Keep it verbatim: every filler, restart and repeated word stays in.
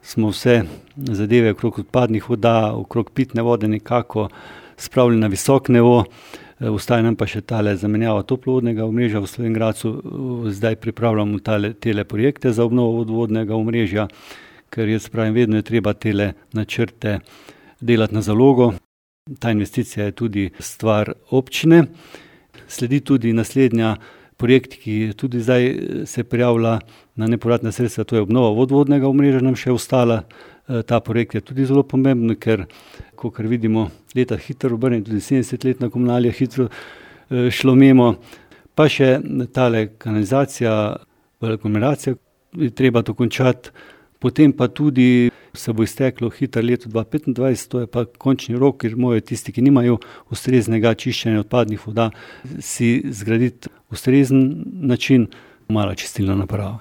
smo vse zadeve okrog odpadnih voda, okrog pitne vode nekako spravili na visok nivo. Ostaja nam pa še tale zamenjava toplovodnega omrežja v Slovenj Gradcu. Zdaj pripravljamo tale, tele projekte za obnovo vodovodnega omrežja, ker jaz pravim, vedno je treba tele načrte delati na zalogo. Ta investicija je tudi stvar občine. Sledi tudi naslednja projekt, ki tudi zdaj se prijavlja na nepovratna sredstva, to je obnova vodovodnega omrežja nam še ostala. Ta projekt je tudi zelo pomemben, ker kakor vidimo, leta hitro obrnejo, tudi sedemdeset let na komunali je hitro šlo mimo. Pa še tale kanalizacija, aglomeracija, je treba to končati. Potem pa tudi se bo izteklo hitro leto dva petindvajset, to je pa končni rok, ker morajo tisti, ki nimajo ustreznega čiščenja odpadnih voda, si zgraditi ustrezen način, mala čistilna naprava.